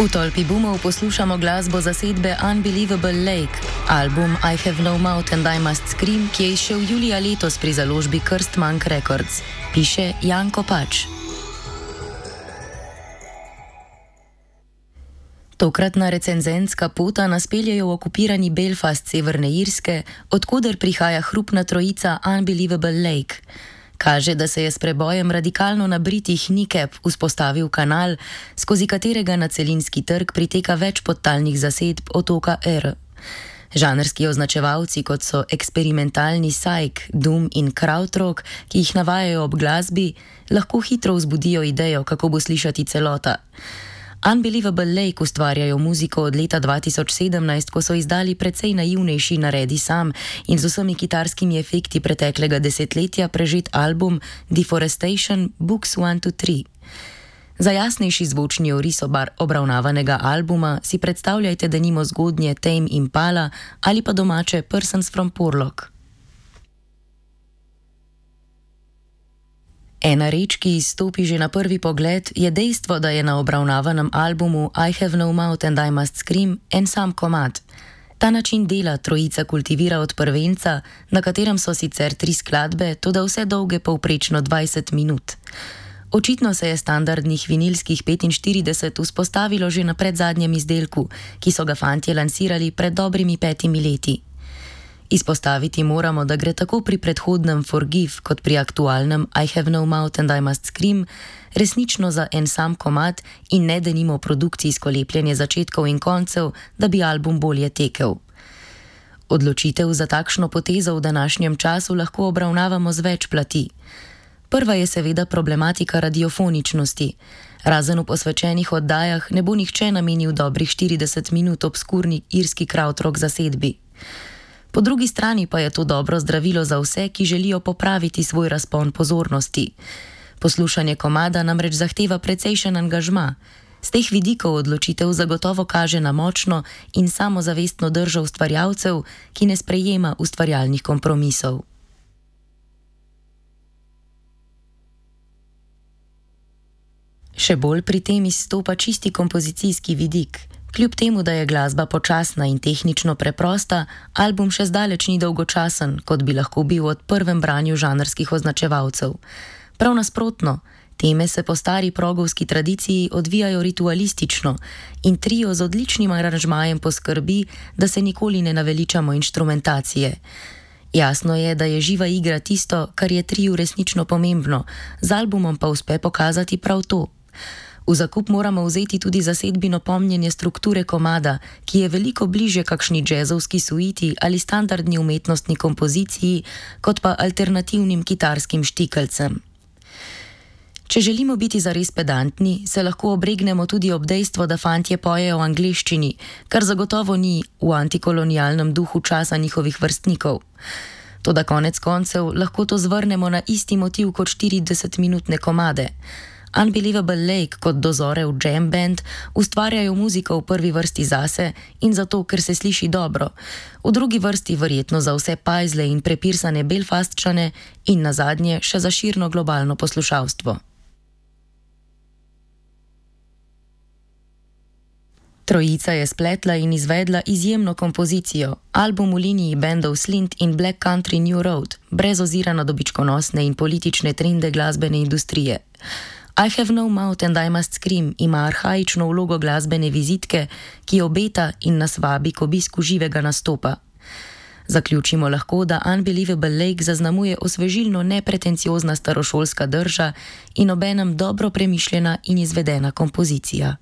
V tolpi boomov poslušamo glasbo zasedbe Unbelievable Lake, album I Have No Mouth and I Must Scream, ki je izšel julija letos pri založbi Krstmank Records, piše Janko Pač. Tokratna recenzentska pota nas pelje v okupirani Belfast Severne Irske, odkuder prihaja hrupna trojica Unbelievable Lake. Kaže, da se je s prebojem radikalno nabritih Nikep vzpostavil kanal, skozi katerega na celinski trg priteka več podtalnih zasedb otoka R. Žanrski označevalci, kot so eksperimentalni psych, doom in krautrock, ki jih navajajo ob glasbi, lahko hitro vzbudijo idejo, kako bo slišati celota. Unbelievable Lake ustvarjajo muziko od leta 2017, ko so izdali precej naivnejši Naredi sam in z vsemi kitarskimi efekti preteklega desetletja prežet album Deforestation Books 1-3. Za jasnejši zvočni oris obravnavanega albuma si predstavljajte denimo zgodnje Tame Impala ali pa domače Persons from Porlock. Ena reč, ki izstopi že na prvi pogled, je dejstvo, da je na obravnavanem albumu I Have No Mouth and I Must Scream en sam komad. Ta način dela trojica kultivira od prvenca, na katerem so sicer 3 skladbe, toda vse dolge povprečno 20 minut. Očitno se je standardnih vinilskih 45 vzpostavilo že na predzadnjem izdelku, ki so ga fantje lansirali pred dobrimi 5 leti. Izpostaviti moramo, da gre tako pri predhodnem Forgive kot pri aktualnem I Have No Mouth and I Must Scream resnično za en sam komad in ne denimo produkcijsko lepljenje začetkov in koncev, da bi album bolje tekel. Odločitev za takšno potezo v današnjem času lahko obravnavamo z več plati. Prva je seveda problematika radiofoničnosti. Razen v posvečenih oddajah ne bo nihče namenil dobrih 40 minut obskurni irski krautrock zasedbi. Po drugi strani pa je to dobro zdravilo za vse, ki želijo popraviti svoj razpon pozornosti. Poslušanje komada namreč zahteva precejšen angažma. Z teh vidikov odločitev zagotovo kaže na močno in samozavestno držo ustvarjalcev, ki ne sprejema ustvarjalnih kompromisov. Še bolj pri tem izstopa čisti kompozicijski vidik. Kljub temu, da je glasba počasna in tehnično preprosta, album še zdaleč ni dolgočasen, kot bi lahko bil od prvem branju žanrskih označevalcev. Prav nasprotno, teme se po stari progovski tradiciji odvijajo ritualistično in trio z odličnim aranžmajem poskrbi, da se nikoli ne naveličamo inštrumentacije. Jasno je, da je živa igra tisto, kar je triu resnično pomembno, z albumom pa uspe pokazati prav to. V zakup moramo vzeti tudi zasedbino pomnjenje strukture komada, ki je veliko bliže kakšni džezovski suiti ali standardni umetnostni kompoziciji, kot pa alternativnim kitarskim štikelcem. Če želimo biti zares pedantni, se lahko obregnemo tudi ob dejstvo, da fantje pojejo v angleščini, kar zagotovo ni v antikolonialnem duhu časa njihovih vrstnikov. Toda konec koncev lahko to zvrnemo na isti motiv kot 40-minutne komade. Unbelievable Lake kot dozorev jam band ustvarjajo muziko v prvi vrsti zase in zato, ker se sliši dobro, v drugi vrsti verjetno za vse pajzle in prepirsane Belfastčane in nazadnje še za širno globalno poslušalstvo. Trojica je spletla in izvedla izjemno kompozicijo, album v liniji bendov Slint in Black Country New Road, brez ozira na dobičkonosne in politične trende glasbene industrije. I Have No Mouth and I Must Scream ima arhaično vlogo glasbene vizitke, ki obeta in nas vabi k obisku živega nastopa. Zaključimo lahko, da Unbelievable Lake zaznamuje osvežilno nepretenciozna starošolska drža in obenem dobro premišljena in izvedena kompozicija.